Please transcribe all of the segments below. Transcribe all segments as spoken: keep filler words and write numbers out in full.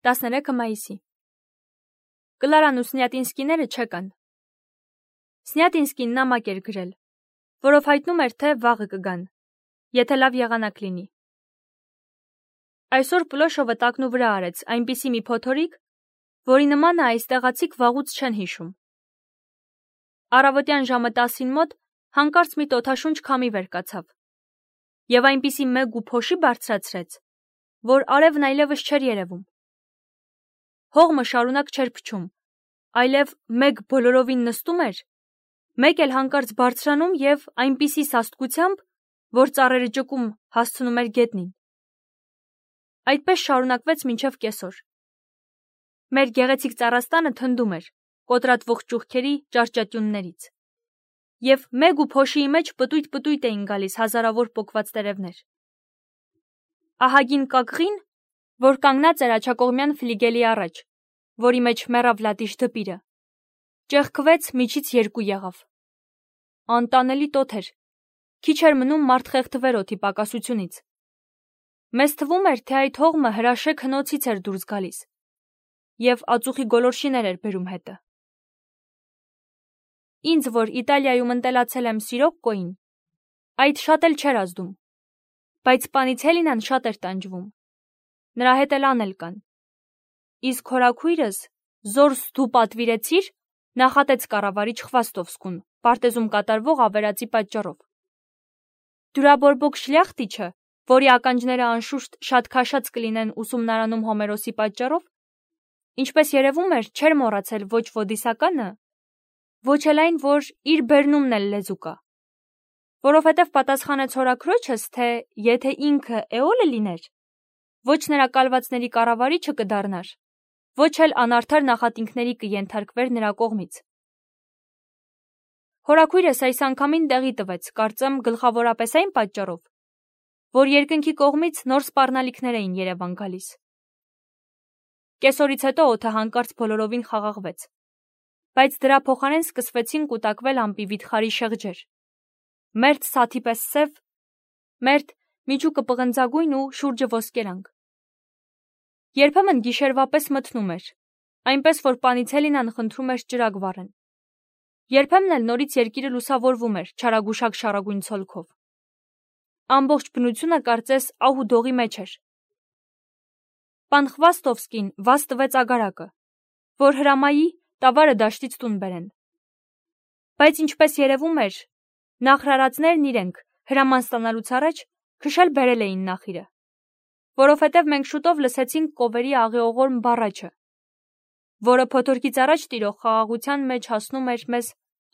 տասներեքը մայիսի։ Կլարան ու Սնյատինսկիները չեկան։ Սնյատինսկին նամակ էր գրել, որով հայտնում էր, թե վաղը կգան, եթե լավ եղանակ լինի։ Այսօր Պլոշովը տակնու վրա արեց այնպիսի մի փոթորիկ, որի նմանը այս տեղացիք վաղուց չեն հիշում։ Առավոտյան ժամը տասին մոտ հանկարծ մի տոթաշունչ քամի վեր կացավ, եւ այնպիսի մեկ ու փոշի բարձրացրեց, որ արևն այլևս չէր երևում։ Հողմը շարունակ չէր փչում, այլև մեկ բոլորովին նստում էր, մեկ էլ հանկարծ բարձրանում եւ այնպիսի սաստկությամբ, որ ծառերը ճկում հասցնում էր գետնին։ Այդպես շարունակվեց մինչև կեսօր։ Մեր գեղեցիկ ծառաստանը թնդում էր կոտրատվող ճուղքերի ճարճատյուններից, եւ մեկ ու փոշիի մեջ պտույտ-պտույտ էին գալիս հազարավոր պոկված տերևներ։ Ահագին կակղին, որ կանգնած էր աջակողմյան ֆլիգելի առաջ, որի մեջ մեռավ լատիշ դպիրը, ճեղքվեց միջից երկու եղավ։ Անտանելի տոթ էր, քիչ էր մնում մարդ խեղդվեր օդի պակասությունից։ Մեզ թվում էր, թե այդ հողմը հրաշեք հնոցից էր դուրս գալիս, եւ ածուխի գոլորշիներ էր բերում հետը։ Ինձ, որ Իտալիայում ընտելացել եմ Սիրոկկոյին, այդ շատ էլ չէր ազդում, բայց Պանիցելինան շատ էր տանջվում, նրա հետ էլ անել կան։ Իսկ հորաքույրս զորս դու պատվիրեցիր, նախատեց կառավարիչ Խվաստովսկուն, պարտեզում կատարվող ավերածի պատճառով։ Դյուրաբորբոք շլյախտիչը, որի ականջները անշուշտ շատ քաշած կլինեն ուսումնարանում Հոմերոսի պատճառով, ինչպես երևում էր, չէր մոռացել ոչ ոդիսականը, ոչ էլ այն, որ իր բերնումն էլ լեզու կա, որովհետև պատասխանեց հորաքրոջս, թե եթե ինքը Էոլը լիներ, ոչ նրա կալվածների կառավարիչը կդառնար, ոչ էլ անարդար նախատինքների կենթարկվեր նրա կողմից։ Հորաքույրս այս անգամին տեղի տվեց, կարծեմ գլխավորապես այն պատճառով, որ երկնքի կողմից նոր սպառնալիքներ էին Երևան գալիս։ Կեսօրից հետո օդը հանկարծ բոլորովին խաղաղվեց, բայց դրա փոխարեն սկսվեցին կուտակվել ամպի վիթխարի շեղջեր, մերթ սաթի պես սև, մերթ միջուկը պղնձագույն ու շուրջը ոսկերանգ։ Երբեմն գիշերվա պես մթնում էր, այնպես որ Պանիցելինան խնդրում էր ճրագ վառեն։ Երբեմն էլ նորից երկիրը լուսավորվում էր չարագուշակ շարագույն ցոլքով։ Ամբողջ բնությունը կարծես ահ ու դողի մեջ էր։ Պան Խվաստովսկին վազ տվեց ագարակը, որ հրամայի տավարը դաշտից տուն բերեն։ Բայց ինչպես երևում էր, նախրարածներն իրենք հրաման ստանալուց առաջ քշել բերել էին նախիրը, որովհետև մենք շուտով լսեցինք կովերի աղիողորմ բառաչը, որը փոթորկից առաջ տիրող խաղաղության մեջ հասնում էր մեզ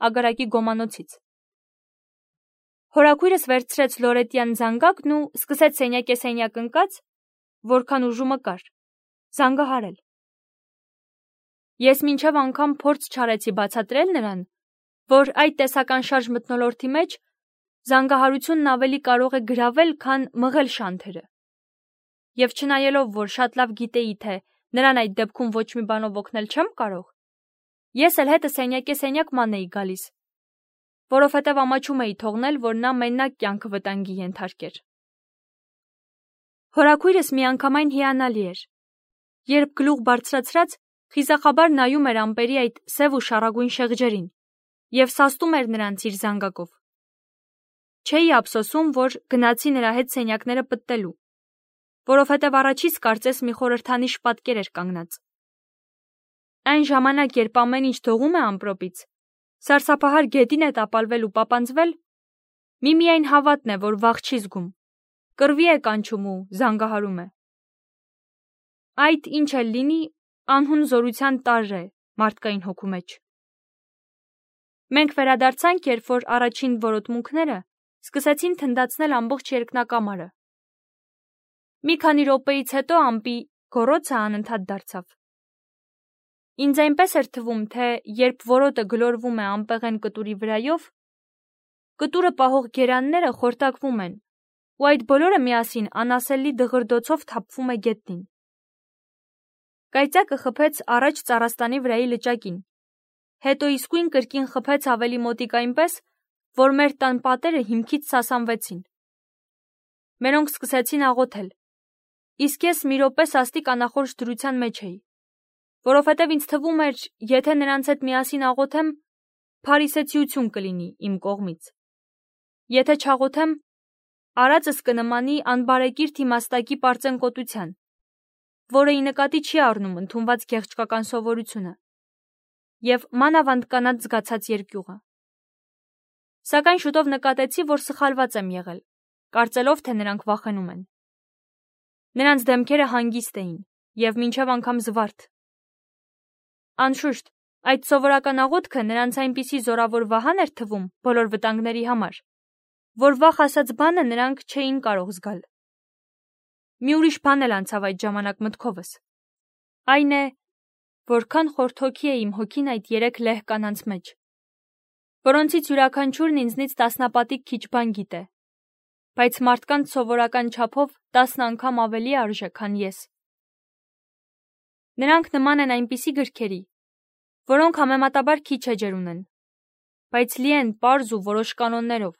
ագարակի գոմանոցից։ Հորաքույրս վերցրեց լորետյան զանգակն ու սկսեց սենյակ-սենյակ ընկած, որքան ուժումը կար, զանգահարել։ Ես մինչև անգամ փորձ չարեցի բացատրել նրան, որ այդ տեսական շարժ մթնոլորտի մեջ զանգահարությունն ավելի կարող է գրավել, քան մղել շանթերը։ Եվ չնայելով, որ շատ լավ գիտեի, թե նրան այդ դեպքում ոչ մի բանով օգնել չեմ կարող, ես էլ հետը սենյակ-սենյակ ման էի գալիս, որովհետև ամաչում էի թողնել, որ նա մենակ կյանքը վտանգի ենթարկեր։ Հորաքույրս միանգամայն հիանալի էր, երբ գլուխ բարձրացրած խիզախաբար նայում էր ամպերի այդ սև ու շառագույն շեղջերին եւ սաստում էր նրանց իր զանգակով։ Չէի ափսոսում, որ գնացի նրա հետ սենյակները պտտելու, որովհետև առաջից կարծես մի խորհրդանիշ պատկեր էր կանգնած։ Այն ժամանակ, երբ ամեն ինչ դողում է ամպրոպից, սարսափահար գետին է տապալվել ու պապանձվել, միմիայն հավատն է, որ վախ չի զգում, կռվի է կանչում ու զանգահարում է։ Այդ ինչ էլ լինի, անհուն զորության տարր է մարդկային հոգու մեջ։ Մենք վերադարձանք, երբ որ առաջին որոտմունքները սկսեցին թնդացնել ամբողջ երկնակամարը։ Մի քանի րոպեից հետո ամպի գոռոցը անընդհատ դարձավ։ Ինձ այնպես էր թվում, թե երբ որոտը գլորվում է անպեղեն կտուրի վրայով, կտուրը պահող գերանները խորտակվում են, ու այդ բոլորը միասին անասելի դղրդոցով թափվում է գետնին։ Կայծակը խփեց առաջ ծառաստանի վրայի լճակին, հետո իսկույն կրկին խփեց ավելի մոտիկ այնպես, որ մեր տան պատերը հիմքից սասանվեցին։ Մերոնք սկսեցին աղոթել, Իսկ ես մի րոպե սաստիկ անախորժ դրության մեջ էի, որովհետև ինձ թվում էր, եթե նրանց հետ միասին աղոթեմ, փարիսեցիություն կլինի իմ կողմից։ Եթե չաղոթեմ, արածս կնմանի անբարեկիրթ իմաստակի պարծենկոտության, որը ի նկատի չի առնում ընդունված գեղեցկական սովորությունը և մանավանդ կանանց զգացած երկյուղը։ Սակայն շուտով նկատեցի, որ սխալված եմ եղել, կարծելով, թե նրանք վախենում են։ Նրանց դեմքերը հանգիստ էին և մինչև անգամ զվարթ։ Անշուշտ, այդ սովորական աղոթքը նրանց այնպիսի զորավոր վահան էր թվում բոլոր վտանգների համար, որ վախ ասած բանը նրանք չէին կարող զգալ։ Մի ուրիշ բան էլ անցավ այդ ժամանակ մտքովս։ Այն է, որքան խորթոքի է իմ հոգին այդ երեք լեհ կանանց մեջ, որոնցից յուրաքանչյուրն ինձնից տասնապատիկ քիչ բան գիտե, բայց մարդկանց սովորական չափով տասն անգամ ավելի արժե, քան ես։ Նրանք նման են այնպիսի գրքերի, որոնք համեմատաբար քիչ էջեր ունեն, բայց լի են պարզ ու որոշ կանոններով,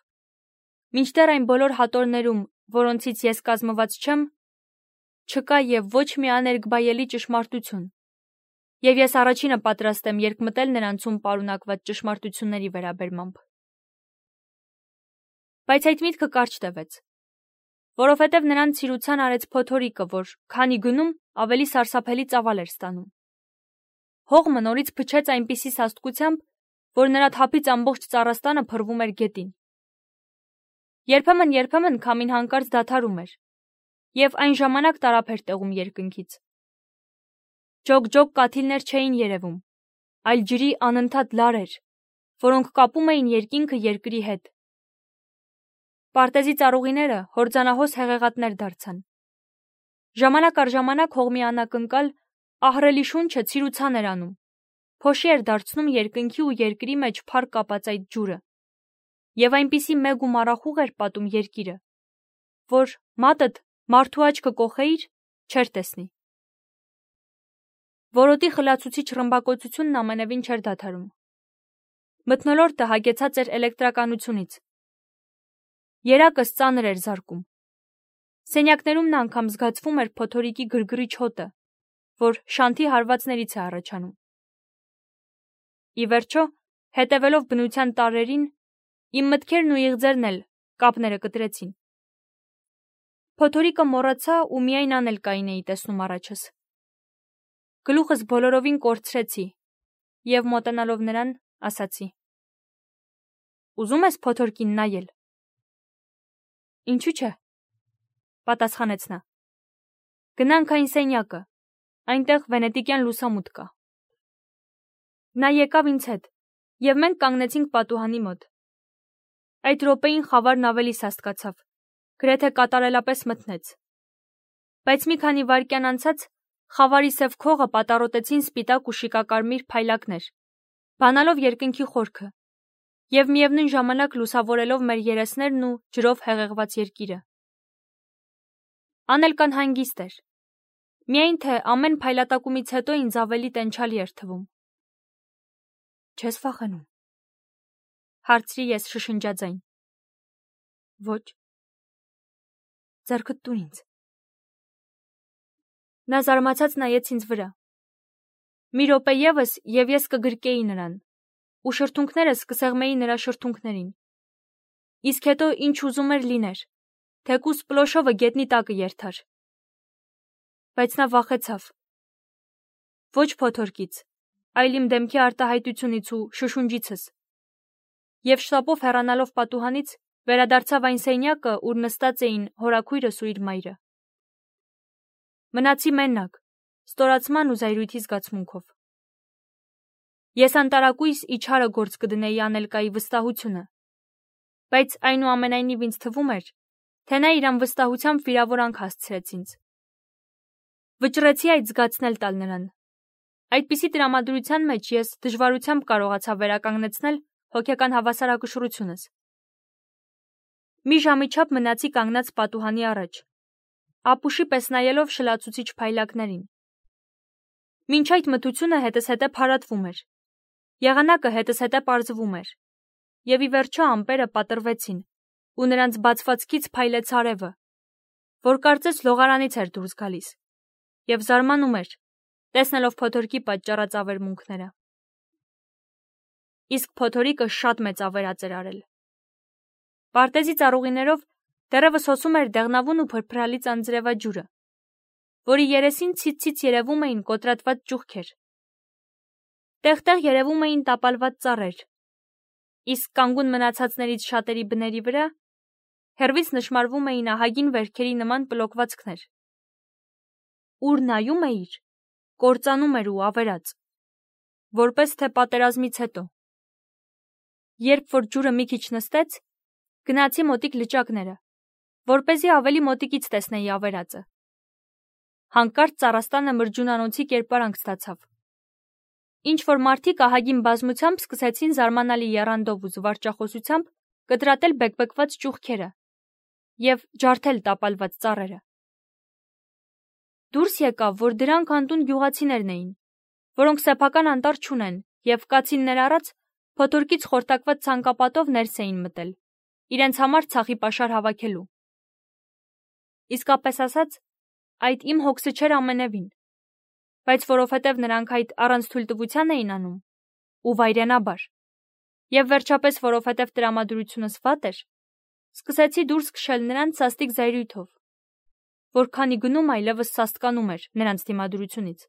մինչդեռ այն բոլոր հատորներում, որոնցից ես կազմված չեմ, չկա և ոչ մի աներկբայելի ճշմարտություն, և ես առաջինը պատրաստ եմ երկմտել նրանցում պարունակված ճշմարտությունների վերաբերմամբ։ Բայց այդ միտքը կարճ տևեց, որովհետև նրան ցիրուցան արեց փոթորիկը, որ քանի գնում, ավելի սարսափելի ծավալ էր ստանում։ Հողմը նորից փչեց այնպիսի սաստկությամբ, որ նրա թափից ամբողջ ծառաստանը փռվում էր գետին։ Երբեմն-երբեմն քամին հանկարծ դադարում էր, և այն ժամանակ տարափ էր տեղում երկնքից։ Ջոկ-ջոկ կաթիլներ չէին երևում, այլ ջրի անընդհատ լարեր, որոնք կապում էին երկինքը երկրի հետ։ Պարտեզի ծառուղիները հորձանահոս հեղեղատներ դարձան։ Ժամանակ առ ժամանակ հողմի անակնկալ, ահռելի շունչը ցիրուցան էր անում, փոշի էր դարձնում երկնքի ու երկրի մեջ փառ կապած այդ ջուրը, և այնպիսի մեկ ու մառախուղ էր պատում երկիրը, որ մատդ մարդու աչքը կոխեիր, չէր տեսնի։ Որոտի խլացուցիչ ռմբակոծությունն ամենևին չէր դադարում։ Մթնոլորտը հագեցած էր էլեկտրականությունից։ Երակս ծանր էր զարկում։ Սենյակներում նա անգամ զգացվում էր փոթորիկի գրգռիչ հոտը, որ շանթի հարվածներից է առաջանում։ Ի վերջո, հետևելով բնության տարրերին, իմ մտքերն ու իղձերն էլ կապները կտրեցին։ Փոթորիկը մոռացա ու միայն անելկային էի տեսնում առաջս։ Գլուխս բոլորովին կորցրեցի և մոտենալով նրան, ասացի. «Ուզում ես փոթորկին նայել»։ «Ինչու՞ չէ», պատասխանեց նա։ «Գնանք այն սենյակը, այնտեղ վենետիկյան լուսամուտ կա»։ Նա եկավ ինձ հետ, և մենք կանգնեցինք պատուհանի մոտ։ Այդ րոպեին խավարն ավելի սաստկացավ, գրեթե կատարելապես մթնեց։ Բայց մի քանի վայրկյան անցած խավարի սև քողը պատառոտեցին սպիտակ ու շիկակարմիր փայլակներ, բանալով երկնքի խորքը և միևնույն ժամանակ լուսավորելով մեր երեսներն ու ջրով հեղեղված երկիրը։ Անելկան հանգիստ էր, միայն թե ամեն փայլատակումից հետո ինձ ավելի տենչալի էր թվում։ «Չես վախենում»։ Հարցրի ես շշնջաձայն։ «Ոչ»։ «Ձեռքդ տուր ինձ»։ Նա զարմացած նայեց ինձ վրա։ Մի րոպե ևս, և ես կգրկեի նրան, ու շրթունքներս կսեղմեի նրա շրթունքներին։ Իսկ հետո ինչ ուզում էր լիներ, թեկուզ Պլոշովը գետնի տակը երթար։ Բայց նա վախեցավ։ Ոչ փոթորկից, այլ իմ դեմքի արտահայտությունից ու շշունջիցս։ Եվ շտապով հեռանալով պատուհանից, վերադարձավ այն սենյակը, ուր նստած էին հորաքույրս ու իր մայրը։ Մնացի մենակ, ստորացման ու զայրույթի զգացմունքով։ Ես անտարակույս իջարը գործ կդնեի անելկայի վստահությունը, բայց այնուամենայնիվ ինձ թվում էր, թե նա իր անվստահությամբ վիրավորանք հասցրեց ինձ։ Վճռեցի այդ զգացնել տալ նրան։ Այդպիսի տրամադրության մեջ ես դժվարությամբ կարողացա վերականգնեցնել հոգեկան հավասարակշռությունս։ Մի ժամի չափ մնացի կանգնած պատուհանի առաջ, ապուշի պես նայելով շլացուցիչ փայլակներին։ Մինչ այդ մթությունը հետզհետե փարատվում էր, եղանակը հետզհետե պարզվում էր, և ի վերջո ամպերը պատռվեցին, ու նրանց բացվածքից փայլեց արևը, որ կարծես լողարանից էր դուրս գալիս, և զարմանում էր, տեսնելով փոթորկի պատճառած ավերմունքները։ Իսկ փոթորիկը շատ մեծ ավերած էր արել։ Պարտեզի ծառուղիներով դեռևս հոսում էր դեղնավուն ու փրփրալի ծանձրևաջուրը, որի երեսին ցից-ցից երևում էին կոտրատված ճուղքեր։ Տեղ-տեղ երևում էին տապալված ծառեր, իսկ կանգուն մնացածներից շատերի բների վրա հեռվից նշմարվում էին ահագին վերքերի նման պլոկվածքներ։ Ուր նայում էիր, կործանում էր ու ավերած, որպես թե պատերազմից հետո։ Երբ որ ջուրը մի քիչ նստեց, գնացի մոտիկ լճակները, որպեսզի ավելի մոտիկից տեսնեի ավերածը։ Հանկարծ ծառաստանը մրջունանոցի կերպարանք ստացավ։ Ինչ-որ մարդիկ ահագին բազմությամբ սկսեցին զարմանալի եռանդով ու զվարճախոսությամբ կտրատել բեկբեկված ճուղքերը և ջարդել տապալված ծառերը։ Դուրս եկավ, որ դրանք անտուն գյուղացիներն էին, որոնք սեփական անտառ չունեն և կացիններ առած փոթորկից խորտակված ցանկապատով ներս էին մտել, իրենց համար ցախի պաշար հավաքելու։ Իսկապես ասած, այդ իմ հոգսը չէր ամենևին, բայց որովհետև նրանք այդ առանց թույլտվության էին անում, ու վայրենաբար, և վերջապես որովհետև տրամադրությունս վատ էր, սկսեցի դուրս քշել նրանց սաստիկ զայրույթով, որ քանի գնում այլևս սաստկանում էր նրանց դիմադրությունից։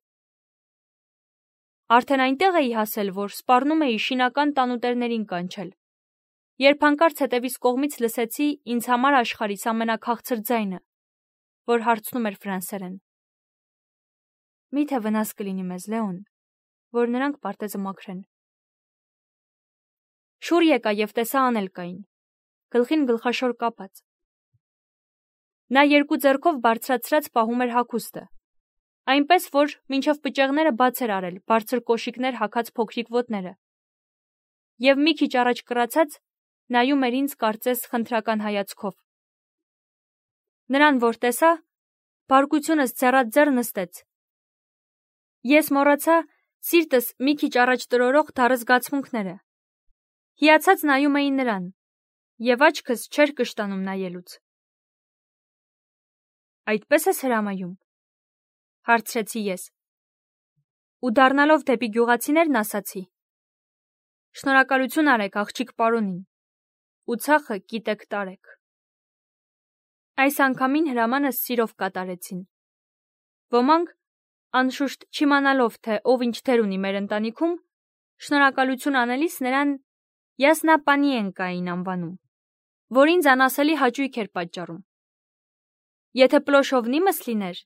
Արդեն այնտեղ էի հասել, որ սպառնում էի շինական տանուտերներին կանչել, երբ հանկարծ հետևիս կողմից լսեցի ինձ համար աշխարհիս ամենաքաղցր ձայնը, որ հարցնում էր ֆրանսերեն. «Մի՞թե վնաս կլինի մեզ, Լեոն, որ նրանք պարտեզը մաքրեն»։ Շուռ եկա և տեսա Անելկային, գլխին գլխաշոր կապած։ Նա երկու ձեռքով բարձրացրած պահում էր հագուստը, այնպես որ մինչև պճեղները բաց էր արել բարձր կոշիկներ հագած փոքրիկ ոտները, և մի քիչ առաջ կռացած նայում էր ինձ կարծես խնդրական հայացքով։ Նրան որ տեսա, բարկությունս ձեռատ ձեռ նստեց։ Ես մոռացա սիրտս մի քիչ առաջ տրորող դառը զգացմունքները։ Հիացած նայում էի նրան, և աչքս չէր կշտանում նայելուց։ «Այդպե՞ս ես հրամայում», հարցրեցի ես, ու դառնալով դեպի գյուղացիներն ասացի. «Շնորհակալություն արեք աղջիկ պարոնին, ու ցախը կիտեք տարեք»։ Այս անգամին հրամանս սիրով կատարեցին։ Ոմանք, անշուշտ չիմանալով, թե ով ինչ դեր ունի մեր ընտանիքում, շնորհակալություն անելիս նրան «Յասնա պանիենկային» անվանում, որ ինձ անասելի հաճույք էր պատճառում։ Եթե Պլոշովնիմս լիներ,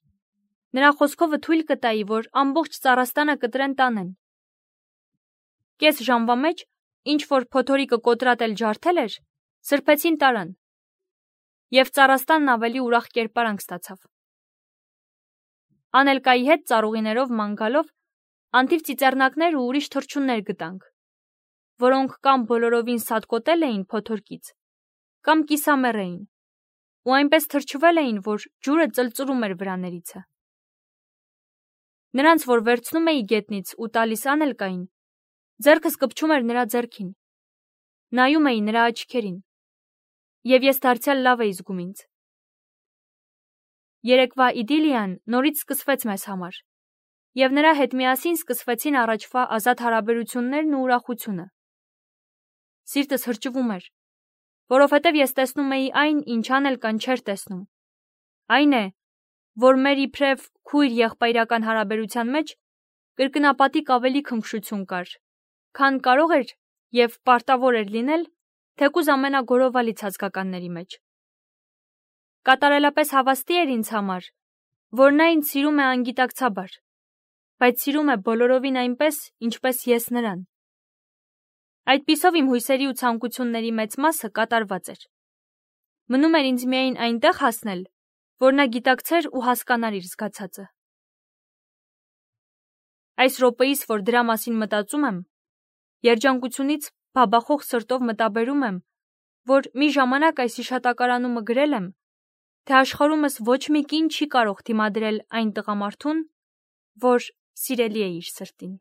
նրա խոսքովը թույլ կտայի, որ ամբողջ ծառաստանը կտրեն տանեն։ Կես ժամվա մեջ, ինչ որ փոթորիկը կոտրատել ջարդել էր, սրբեցին տարան, և ծառաստանն ավելի ուրախ կերպարանք ստացավ։ Անելկայի հետ ծառուղիներով ման գալով անթիվ ծիծեռնակներ ու ուրիշ թռչուններ գտանք, որոնք կամ բոլորովին սատկոտել էին փոթորկից, կամ կիսամեռ էին, ու այնպես թրջվել էին, որ ջուրը ծլծլում էր վրաներիցը։ Նրանց, որ վերցնում էի գետնից ու տալիս Անելկային, ձեռքս կպչում էր նրա ձեռքին, նայում էի նրա աչքերին, և ես դարձյալ լավ էի զգում ինձ։ Երեկվա իդիլիան նորից սկսվեց մեզ համար, և նրա հետ միասին սկսվեցին առաջվա ազատ հարաբերություններն ու ուրախությունը։ Սիրտս հրճվում էր, որովհետև ես տեսնում էի այն, ինչ Անելկան չէր տեսնում, այն է, որ մեր իբրև քույր-եղբայրական հարաբերության մեջ կրկնապատիկ ավելի քնքշություն կար, քան կարող էր և պարտավոր էր լինել թեկուզ ամենագորովալի ցածկականների մեջ։ Կատարելապես հավաստի էր ինձ համար, որ նա ինձ սիրում է անգիտակցաբար, բայց սիրում է բոլորովին այնպես, ինչպես ես նրան։ Այդպիսով իմ հույսերի ու ցանկությունների մեծ մասը կատարված էր։ Մնում էր ինձ միայն այնտեղ հասնել, որ նա գիտակցեր ու հասկանար իր զգացածը։ Այս րոպեիս, որ դրա մասին մտածում եմ, երջանկությունից բաբախող սրտով մտաբերում եմ, որ մի ժամանակ այս հիշատակարանումը գրել եմ, թե աշխարհումս ոչ մի կին չի կարող դիմադրել այն տղամարդուն, որ սիրելի է իր սրտին։